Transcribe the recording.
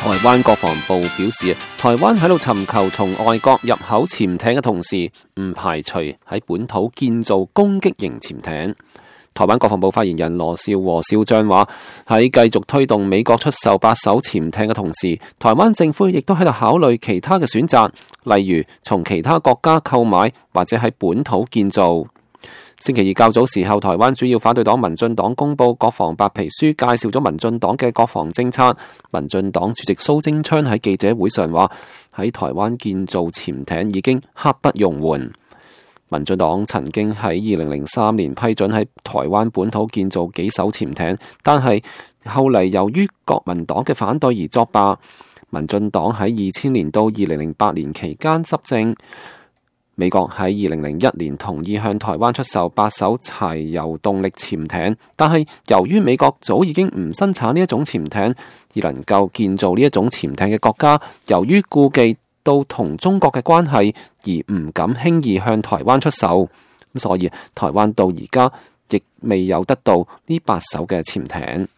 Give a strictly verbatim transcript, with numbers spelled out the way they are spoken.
台灣國防部表示，台灣喺度尋求從外國入口潛艇嘅同時，唔排除喺本土建造攻擊型潛艇。台灣國防部發言人羅紹和少將話，喺繼續推動美國出售八艘潛艇嘅同時，台灣政府亦都喺度考慮其他嘅選擇，例如從其他國家購買或者喺本土建造。星期二較早時候，台灣主要反對黨民進黨公布國防白皮書，介紹咗民進黨嘅國防政策。民進黨主席蘇貞昌喺記者會上話，喺台灣建造潛艇已經刻不容緩。民進黨曾經喺二零零三年批准喺台灣本土建造幾艘潛艇，但係後嚟由於國民黨嘅反對而作罷。民進黨喺二千年到二零零八年期間執政。美國喺二零零一年同意向台灣出售八艘柴油動力潛艇，但係由於美國早已經唔生產呢一種潛艇，而能夠建造呢一種潛艇嘅國家，由於顧忌到同中國嘅關係，而唔敢輕易向台灣出售。咁所以台灣到而家亦未有得到呢八艘嘅潛艇。